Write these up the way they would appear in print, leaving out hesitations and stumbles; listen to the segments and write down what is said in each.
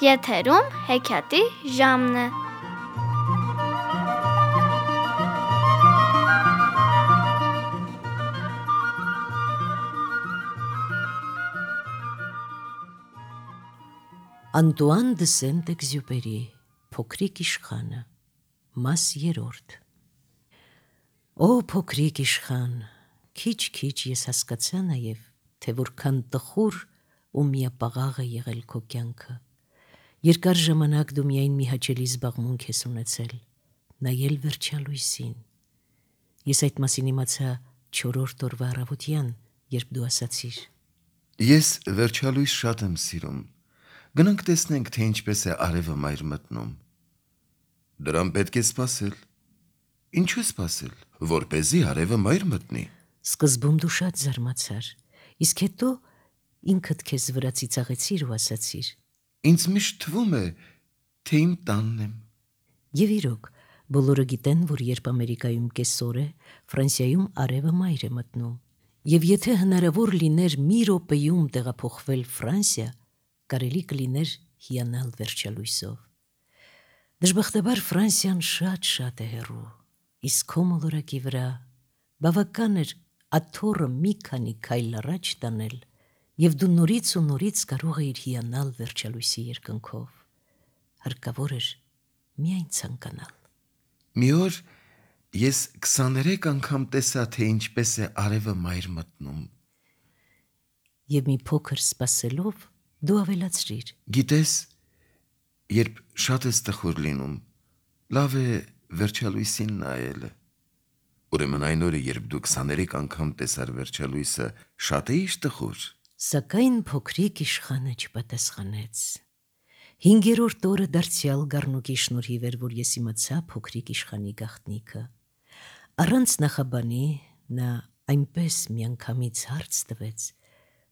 Եթերում հեքիաթի ժամն է։ Անտուան դը Սենտ-Էքզյուպերի Փոքրիկ իշխանը Մաս 3 Օ փոքրիկ իշխան, քիչ-քիչ ես հասկացա նաև, թե որքան տխուր ու միապաղաղ է եղել քո կյանքը։ Երկար ժամանակ դու միայն մի հաճելի զբաղմունք ես ունեցել՝ նայել վերջալույսին։ Ես այդ մասին իմացա 4-րդ օրվա առավոտյան, երբ դու ասացիր. Ես վերջալույս շատ եմ սիրում։ Գնանք տեսնենք, թե ինչպես է արևը մայր մտնում։ Դրան պետք է սպասել։ Ինչու սպասել, որպեսզի արևը մայր մտնի։ Սկզբում դու շատ զարմացար, իսկ հետո ինքդ քեզ վրա ծիծաղեցիր ու ասացիր. Ինձ միշտ թվում է, թե իմ տանն եմ։ Եվ իրոք, բոլորը գիտեն, որ երբ Ամերիկայում կեսօր է, Ֆրանսիայում արևը մայր է մտնում։ Եվ եթե հնարավոր լիներ մի րոպեում տեղափոխվել Ֆրանսիա, կարելի կլիներ հիանալ վերջալույսով։ Դժբախտաբար Ֆրանսիան շատ է հեռու, իսկ քո մոլորակի վրա բավական էր աթոռը մի քանի քայլ առաջ տանել, և դու նորից ու նորից կարող էիր հիանալ վերջալույսի երկնքով։ Հարկավոր էր միայն ցանկանալ։ Մի օր ես 23 անգամ տեսա, թե ինչպես է արևը մայր մտնում։ Եվ մի փոքր սպասելով, դու ավելացրիր. Գիտես, երբ շատ ես տխուր լինում, լավ է վերջալույսին նայելը։ Ուրեմն այն օրը, երբ դու 23 անգամ տեսար վերջալույսը, շատ էիր տխուր։ Սակայն փոքրիկ իշխանը չպատասխանեց։ 5-րդ օրը դարձյալ գառնուկի շնորհիվ էր, որ ես իմացա փոքրիկ իշխանի գաղտնիքը։ Առանց նախաբանի նա այնպես միանգամից հարց տվեց,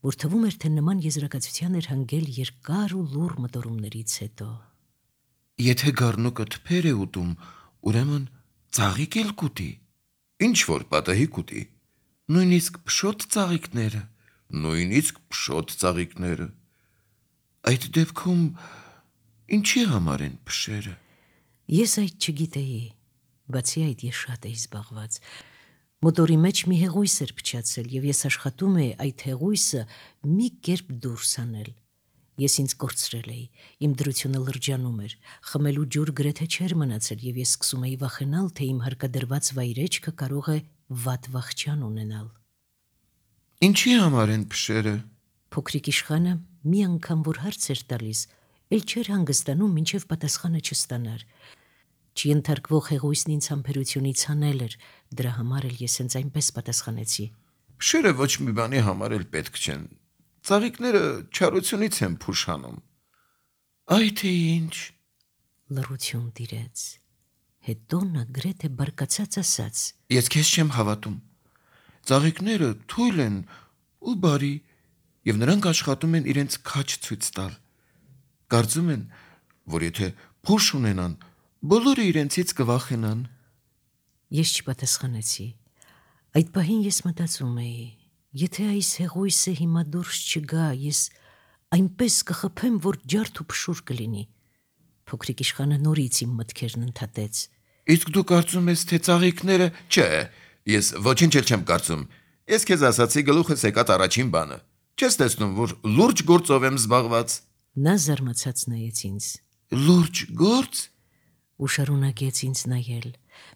որ թվում էր, թե նման եզրակացության էր հանգել երկար ու լուռ մտորումներից հետո։ Եթե գառնուկը թփեր է ուտում, ուրեմն ծաղիկ էլ կուտի, ինչ որ պատահի կուտի, նույնիսկ փշոտ ծաղիկները։ Այդ դեպքում ինչի համար են փշերը։ Ես այդ չգիտեի, բացի այդ ես շատ էի զբաղված։ Մոտորի մեջ մի հեղույս էր փչացել, և ես աշխատում էի այդ հեղույսը մի կերպ դուրս հանել։ Ես ինձ կորցրել էի, իմ դրությունը լրջանում էր, խմելու ջուր գրեթե չէր մնացել, և ես սկսում էի վախենալ, թե իմ հարկադրված վայրեջքը կարող է վատ վախճան ունենալ։ Ինչի համար են փշերը։ Փոքրիկ իշխանը մի անգամ որ հարց էր տալիս, էլ չէր հանգստանում, մինչև պատասխանը չստանար։ Չենթարկվող հեղույսն ինձ համբերությունից հանել էր, դրա համար էլ ես հենց այնպես պատասխանեցի. Փշերը ոչ մի բանի համար էլ պետք չեն։ Ծաղիկները չարությունից են փուշ հանում։ Այ թե ինչ։ Լռություն տիրեց։ Հետո նա գրեթե բարկացած ասաց. Ես քեզ չեմ հավատում։ Ծաղիկները թույլ են ու բարի, և նրանք աշխատում են իրենց քաջ ցույց տալ։ Կարծում են, որ եթե փուշ ունենան, բոլորը իրենցից կվախենան։ Ես չպատասխանեցի։ Այդ պահին ես մտածում էի, եթե այս հեղույսը հիմա դուրս չգա, ես այնպես կխփեմ, որ ջարդ ու փշուր կլինի։ Փոքրիկ իշխանը նորից իմ մտքերն ընդհատեց. Իսկ դու կարծում ես, թե ծաղիկները… Չէ, ես ոչինչ էլ չեմ կարծում։ Ես քեզ ասացի գլուխս եկած առաջին բանը։ Չես տեսնում, որ լուրջ գործով եմ զբաղված։ Նա զարմացած նայեց ինձ. Լուրջ գործ։ Ու շարունակեց ինձ նայել։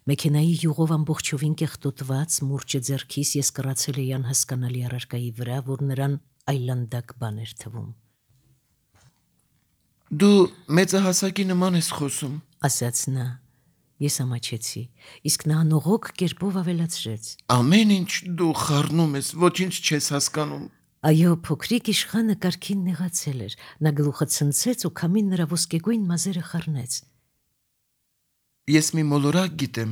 Մեքենայի յուղով ամբողջովին կեղտոտված մուրճը ձեռքիս ես կռացել էի անհասկանալի առարկայի վրա, որ նրան այլանդակ բան էր թվում։ Դու մեծահասակի նման ես խոսում, ասաց նա։ Ես ամաչեցի, իսկ նա անողոք կերպով ավելացրեց. Ամեն ինչ դու խառնում ես, ոչինչ չես հասկանում։ Այո, փոքրիկ իշխանը կարգին նեղացել էր։ Նա գլուխը ցնցեց ու քամին նրա ոսկեգույն մազերը խառնեց։ Ես մի մոլորակ գիտեմ,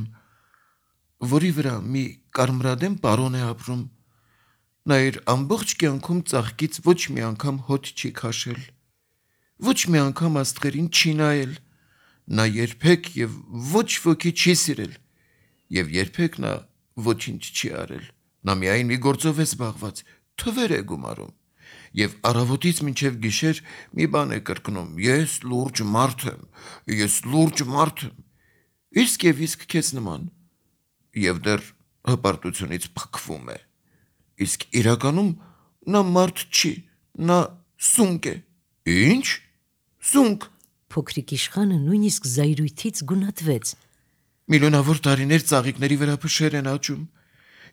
որի վրա մի կարմրադեմ պարոն է ապրում։ Նա իր ամբողջ կյանքում ծաղկից ոչ մի անգամ հոտ չի քաշել, ոչ մի անգամ աստղերին չի նայել։ Նա երբեք և ոչ ոքի չի սիրել, և երբեք նա ոչինչ չի արել։ Նա միայն մի գործով է զբաղված, թվեր է գումարում։ Եվ առավոտից մինչև գիշեր մի բան է կրկնում. ես լուրջ մարդ եմ, ես լուրջ մարդ եմ, իսկ եւ իսկ քեզ նման, եւ դեռ հպարտությունից փքվում է, իսկ իրականում նա մարդ չի, նա սունկ է։ Ինչ? Սունկ։ Փոքրիկ իշխանը նույնիսկ զայրույթից գունատվեց։ Միլիոնավոր տարիներ ծաղիկների վրա փշեր են աճում,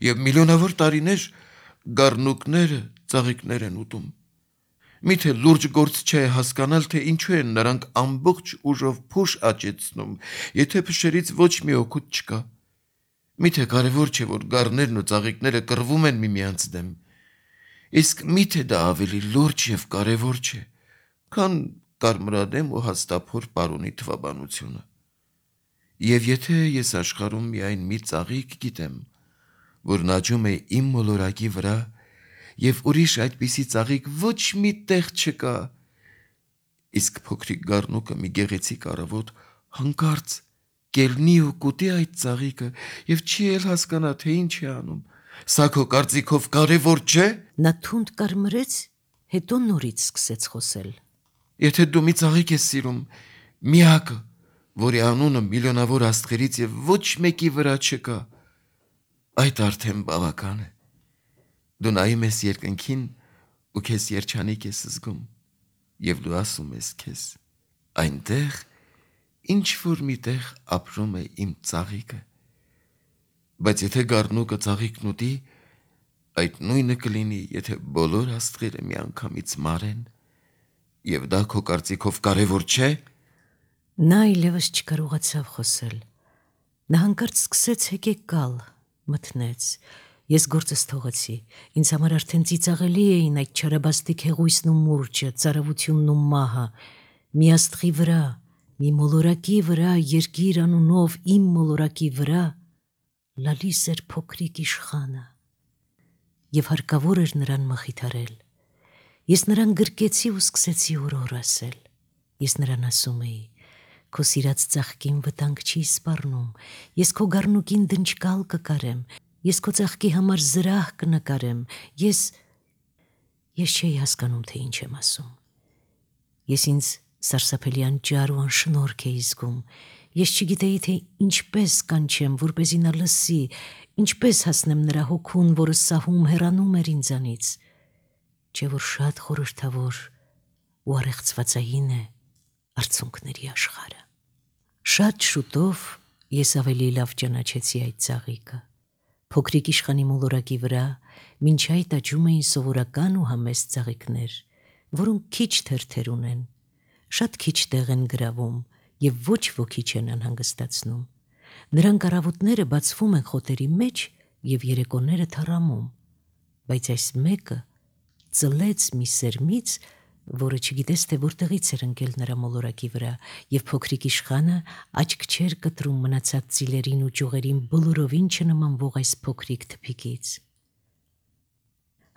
եւ միլիոնավոր տարիներ գառնուկները ծաղիկներ են ուտում։ Միթե լուրջ գործ չէ հասկանալ, թե ինչու են նրանք ամբողջ ուժով փուշ աճեցնում, եթե փշերից ոչ մի օգուտ չկա։ Միթե կարևոր չէ, որ գառներն ու ծաղիկները կռվում են միմյանց դեմ, իսկ միթե դա ավելի լուրջ եւ կարևոր չէ, քան կարմրադեմ ու հաստափոր պարոնի թվաբանությունը։ Եվ եթե ես աշխարհում միայն մի ծաղիկ գիտեմ, որն աճում է իմ մոլորակի վրա, եւ ուրիշ այդպիսի ծաղիկ ոչ մի տեղ չկա, իսկ փոքրիկ գառնուկը մի գեղեցիկ առավոտ հանկարծ կելնի ու կուտի այդ ծաղիկը եւ չի էլ հասկանա, թե ինչ է անում։ Սա քո կարծիքով կարևոր չէ։ Նա թունդ կարմրեց, հետո նորից սկսեց խոսել։ Եթե դու մի ծաղիկ ես սիրում, միակը, որի անունը միլիոնավոր աստղերից եւ ոչ մեկի վրա չկա, այդ արդեն բավական է։ Դու նայում ես երկնքին ու քեզ երջանիկ ես զգում, եւ դու ասում ես քեզ. այնտեղ ինչ որ միտեղ ապրում է իմ ծաղիկը։ Բայց եթե գառնուկը ծաղիկն ուտի, այդ նույնը կլինի, եթե բոլոր աստղերը միանգամից մարեն, եւ դա քո կարծիքով կարևոր չէ։ Նա այլևս չկարողացավ խոսել։ Նա հանկարծ սկսեց հեկեկալ, մթնեց։ Ես գործս թողեցի։ Ինձ համար արդեն ծիծաղելի էին այդ չարաբաստիկ հեղույսն ու մուրճը, ծարավությունն ու մահը։ Մի աստղի վրա, մի մոլորակի վրա, երկիր անունով իմ մոլորակի վրա լալիս էր փոքրիկ իշխանը։ Եվ հարկավոր էր նրան մխիթարել։ Ես նրան գրկեցի ու սկսեցի օրոր ասել։ Ես նրան ասում էի. քո սիրած ծաղկին վտանգ չի սպառնում, ես քո գառնուկին դնչկալ կկարեմ, ես քո ծաղկի համար զրահ կնկարեմ, ես չէի հասկանում, թե ինչ եմ ասում։ Ես ինձ սարսափելի անճար ու անշնորհք էի զգում, ես չգիտեի, թե ինչպես կանչեմ, որպեսզի նա լսի, ինչպես հասնեմ նրա հոգուն, որը սահում հեռանում էր ինձանից, չէ որ շատ խորհրդավոր ու առեղծվածային է արցունքների աշխարհը։ Շատ շուտով ես ավելի լավ ճանաչեցի այդ ծաղիկը։ Փոքրիկ իշխանի մոլորակի վրա մինչ այդ աճում էին սովորական ու համեստ ծաղիկներ, որոնք քիչ թերթեր ունեն, շատ քիչ տեղ են գրավում եւ ոչ ոքի չեն անհանգստացնում։ Նրանք առավոտները բացվում են խոտերի մեջ եւ երեկոները թառամում, բայց այս մեկը ծլեց մի սերմից, որը չգիտես, թե որտեղից էր ընկել նրա մոլորակի վրա, եւ փոքրիկ իշխանը աչք չէր կտրում մնացած ծիլերին ու ճյուղերին բոլորովին չնմանվող այս փոքրիկ թփիկից։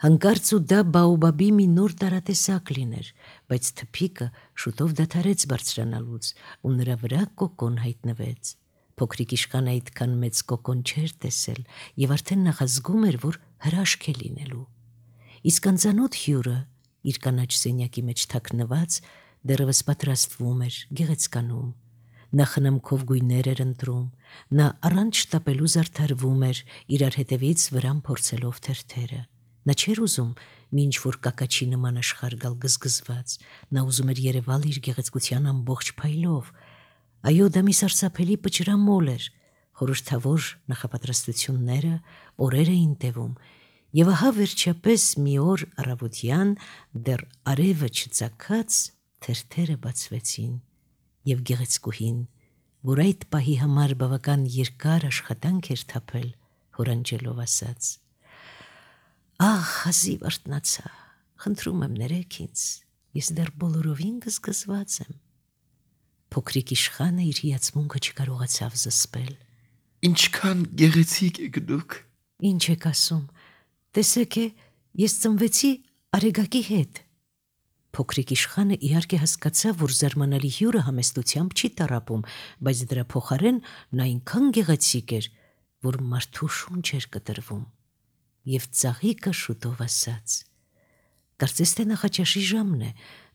Հանկարծ ու դա բաոբաբի մի նոր տարատեսակ լիներ, բայց թփիկը շուտով դադարեց բարձրանալուց ու նրա վրա կոկոն հայտնվեց։ Փոքրիկ իշխանը այդքան մեծ կոկոն չէր տեսել եւ արդեն նախազգում էր, որ հրաշք է լինելու։ Իսկ անծանոթ հյուրը իր կանաչ սենյակի մեջ թաքնված դեռևս պատրաստվում էր, գեղեցկանում։ Նա խնամքով գույներ էր ընտրում, նա առանց շտապելու զարդարվում էր, իրար հետևից վրան փորձելով թերթերը։ Նա չէր ուզում մի ինչ-որ կակաչի նման աշխարհ գալ գզգզված, նա ուզում էր երևալ իր գեղեցկության ամբողջ փայլով։ Այո, դա մի սարսափելի պճրամոլ էր, խորհրդավոր նախապատրաստությունները օրեր էին տևում, եւ ահա վերջապես մի օր առավոտյան դեռ արևը չծագած թերթերը բացվեցին, եւ գեղեցկուհին, որ այդ պահի համար բավական երկար աշխատանք էր թափել, հորանջելով ասաց. «Ահ, հազիվ արթնացա, խնդրում եմ ներեք ինձ, ես դեռ բոլորովին գզգզված եմ»։ Փոքրիկ իշխանը իր հիացմունքը չկարողացավ զսպել։ Ինչքան գեղեցիկ եք դուք։ Ինչ եք ասում, տեսեք է, ես ծնվեցի արեգակի հետ։ Փոքրիկ իշխանը իհարկե հասկացավ, որ զարմանալի հյուրը համեստությամբ չի տառապում, բայց դրա փոխարեն նա այնքան գեղեցիկ էր, որ մարդու շունչ էր կտրվում։ Եվ ծաղիկը շուտով ասաց. Կարծես թե նախաճաշի ժամն է,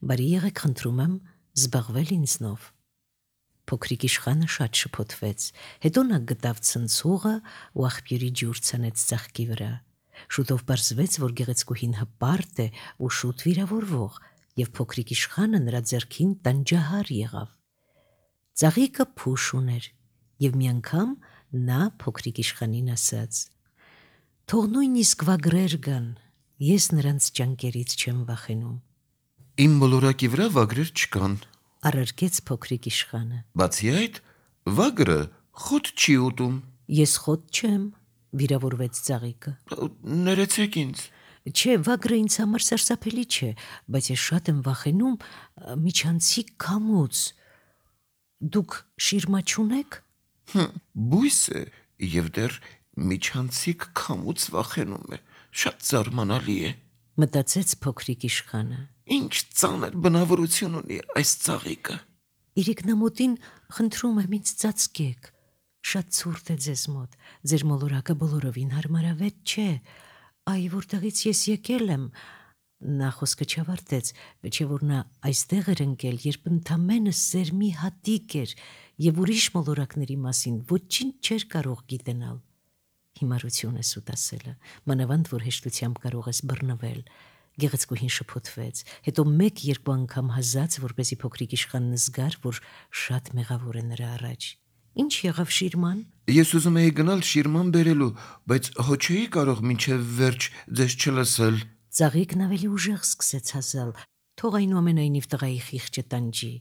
բարի եղեք խնդրում եմ զբաղվել ինձնով։ Փոքրիկ իշխանը շատ շփոթվեց, հետո նա գտավ ցնցուղը ու աղբյուրի ջուր ցնեց ծաղկի վրա։ Շուտով պարզվեց, որ գեղեցկուհին հպարտ է ու շուտ վիրավորվող, եւ փոքրիկ իշխանը նրա ձեռքին տանջահար եղավ։ Ծաղիկը փուշ ուներ, եւ մի անգամ նա փոքրիկ իշխանին ասաց. «Թող նույնիսկ վագրեր գան, ես նրանց ճանկերից չեմ վախենում»։ Իմ մոլորակի վրա վագրեր չկան։ Առարկեց փոքրիկ իշխանը։ Բացի այդ, վագրը խոտ չի ուտում։ Ես խոտ չեմ, վիրավորվեց ծաղիկը։ Ներեցեք ինձ։ Չէ, վագրը ինձ համար սարսափելի չէ, բայց ես շատ եմ վախենում միջանցիկ քամուց։ Դուք շիրմա չունեք։ Բույս է եւ դեռ միջանցիկ քամուց վախենում է։ Շատ զարմանալի է։ Մտածեց փոքրիկ իշխանը։ Ինչ ծանր բնավորություն ունի այս ծաղիկը։ Իրիկնամոտին խնդրում եմ ինձ ծածկեք։ Շատ ցուրտ է ձեզ մոտ, ձեր մոլորակը բոլորովին հարմարավետ չէ։ Այ որտեղից ես եկել եմ։ Նա խոսքը չավարտեց, չէ որ նա այստեղ էր ընկել, երբ ընդամենը սերմի հատիկ էր եւ ուրիշ մոլորակների մասին ոչինչ չէր կարող գիտենալ։ Հիմարություն է սուտ ասելը, մանավանդ որ հեշտությամբ կարող ես բռնվել։ Գեղեցկուհին շփոթվեց, հետո մեկ-երկու անգամ հազաց, որպեսզի փոքրիկ իշխանն զգար, որ շատ մեղավոր է նրա առաջ։ Ինչ եղավ շիրման։ Ես ուզում էի գնալ շիրման բերելու, բայց հո չէի կարող մինչև վերջ ձեզ չլսել։ Ծաղիկն ավելի ուժեղ սկսեց հազալ, թող այնուամենայնիվ տղայի խիղճը տանջի։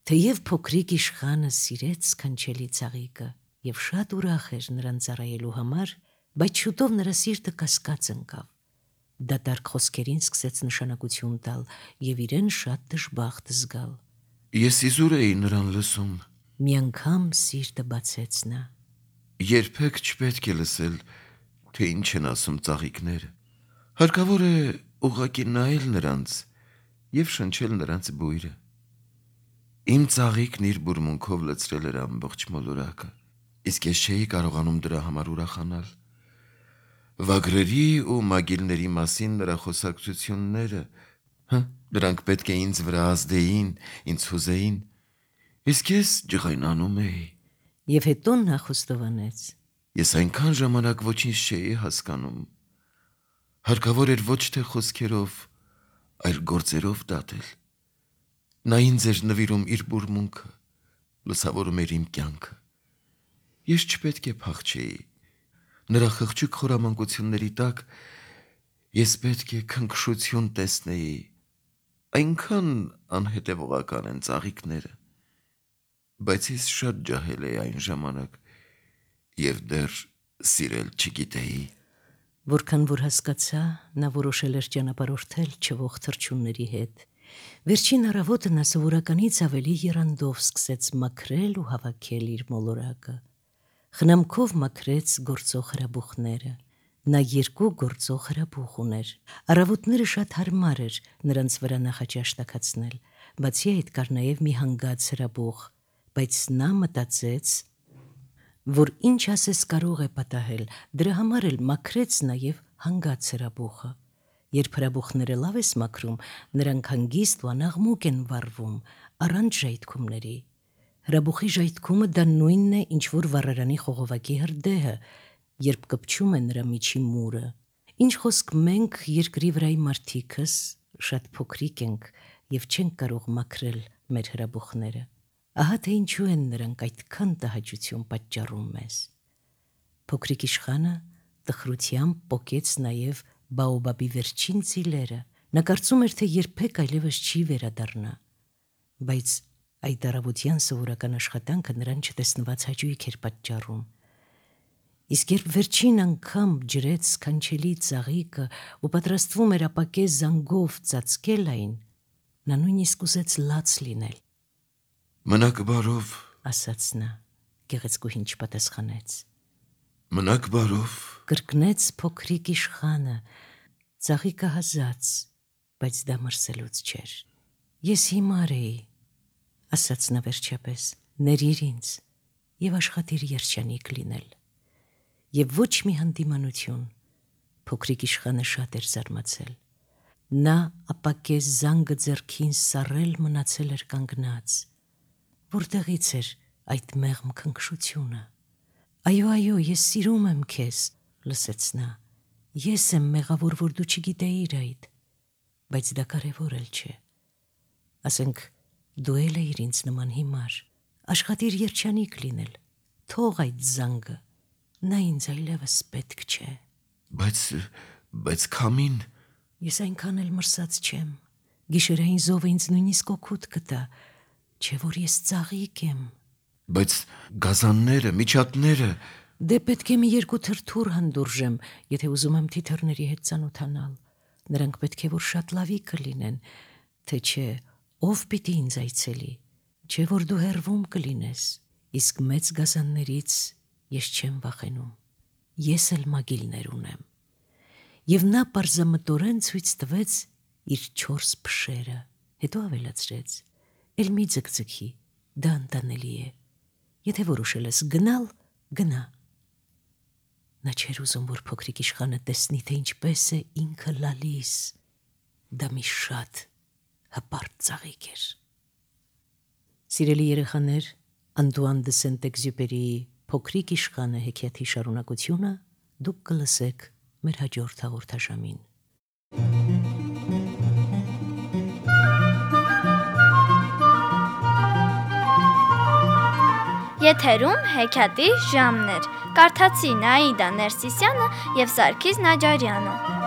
Թեև փոքրիկ իշխանը սիրեց սքանչելի ծաղիկը եւ շատ ուրախ էր նրան ծառայելու համար, բայց շուտով նրա սիրտը կասկած ընկավ։ Դատարկ խոսքերին սկսեց նշանակություն տալ եւ իրեն շատ դժբախտ զգալ։ Ես իզուր էի նրան լսում։ Մի անգամ սիրտը բացեց նա։ Երբեք չպետք է լսել, թե ինչ են ասում ծաղիկները։ Հարկավոր է ուղղակի նայել նրանց եւ շնչել նրանց բույրը։ Իմ ծաղիկն իր բուրմունքով լցրել էր ամբողջ մոլորակը, իսկ ես չէի կարողանում դրա համար ուրախանալ։ Վագրերի ու մագիլների մասին նրա խոսակցությունները, դրանք պետք է ինձ վրա ազդեին, ինձ հուզեին, իսկ ես ջղայնանում էի։ Եվ հետո նա խոստովանեց. Ես այնքան ժամանակ ոչինչ չէի հասկանում։ Հարկավոր էր ոչ թե խոսքերով, այլ գործերով դատել։ Նա ինձ էր նվիրում իր բուրմունքը, լուսավորում էր իմ կյանքը։ Ես չպետք է փախչեի։ Նրա խղճուկ խորամանկությունների տակ ես պետք է քնքշություն տեսնեի։ Այնքան անհետևողական են ծաղիկները։ Բայց ես շատ ջահել էի այն ժամանակ եւ դեռ սիրել չգիտեի։ Որքան որ հասկացա, նա որոշել էր ճանապարհորդել չվող թռչունների հետ։ Վերջին առավոտը նա սովորականից ավելի եռանդով սկսեց մաքրել ու հավաքել իր մոլորակը։ Խնամքով մաքրեց գործող հրաբուխները։ Նա 2 գործող հրաբուխ ուներ։ Առավոտները շատ հարմար էր նրանց վրա նախաճաշ տաքացնել, բացի այդ կար նաև մի հանգած հրաբուխ, բայց նա մտածեց, որ ինչ ասես կարող է պատահել, դրա համար էլ մաքրեց նաև հանգած հրաբուխը։ Երբ հրաբուխները լավ ես մաքրում, նրանք հանգիստ ու անաղմուկ են վառվում, առանց ժայթքումների։ Հրաբուխի ժայթքումը դա նույնն է, ինչ որ վառարանի խողովակի հրդեհը, երբ կպչում է նրա միջի մուրը։ Ինչ խոսք մենք երկրի վրայի մարդիկս շատ փոքրիկ ենք եւ չենք կարող մաքրել մեր հրաբուխները։ Ահա թե ինչու են նրանք այդքան տհաճություն պատճառում մեզ։ Փոքրիկ իշխանը տխրությամբ պոկեց նաև բաոբաբի վերջին ծիլերը։ Նա կարծում էր, թե երբեք այլևս չի վերադառնա, բայց այդ առավոտյան սովորական աշխատանքը նրան չտեսնված հաճույք էր պատճառում։ Իսկ երբ վերջին անգամ ջրեց սքանչելի ծաղիկը ու պատրաստվում էր ապակե զանգով ծածկել այն, նա նույնիսկ ուզեց լաց լինել։ Մնաք բարով, ասաց նա, գեղեցկուհին չպատասխանեց։ Մնաք բարով, կրկնեց փոքրիկ իշխանը, ծաղիկը հազաց, բայց դա մրսելուց չէր։ Ես հիմար էի, ասաց նա վերջապես, ներիր ինձ եւ աշխատիր երջանիկ լինել։ Եվ ոչ մի հանդիմանություն, փոքրիկ իշխանը շատ էր զարմացել։ Նա ապակես զանգը ձեռքին սառել մնացել էր կանգնած։ Որտեղից էր այդ մեղմ քնքշությունը։ Այո, ես սիրում եմ քեզ, լսեց նա։ Ես եմ մեղավոր, որ դու չգիտեիր այդ, բայց դա կարևոր էլ չէ։ Ասենք դու էլ էիր ինձ նման հիմար, աշխատիր երջանիկ լինել, թող այդ զանգը, նա ինձ այլևս պետք չէ։ Բայց քամին… Ես այնքան էլ մրսած չեմ, գիշերային զովը ինձ նույնիսկ օգուտ կտա, չէ որ ես ծաղիկ եմ։ Բայց գազանները, միջատները… Դե պետք է մի երկու թրթուր հանդուրժեմ, եթե ուզում եմ թիթեռների հետ ծանոթանալ, նրանք պետք է որ շատ լավի կլինեն, թե չէ, ով պիտի ինձ այցելի, չէ որ դու հեռվում կլինես, իսկ մեծ գազաններից ես չեմ վախենում, ես էլ մագիլներ ունեմ։ Եվ նա պարզամտորեն ցույց տվեց իր 4 փշերը, հետո ավելացրեց. «Էլ մի ձգձգի, դա անտանելի է, եթե որոշել ես գնալ, գնա»։ Նա չէր ուզում, որ փոքրիկ իշխանը տեսնի, թե ինչպես է ինքը լալիս։ Դա մի շատ հպարտ ծաղիկ էր։ Սիրելի երեխաներ, Անտուան դե Սենտ-Էքզյուպերիի Փոքրիկ իշխանը հեքիաթի շարունակությունը դուք կլսեք մեր հաջորդ հաղորդաշամին։ Եթերում հեքիաթի ժամն էր։ Կարդացի Նաիդա Ներսիսյանը և Սարգիս Նաջարյանը։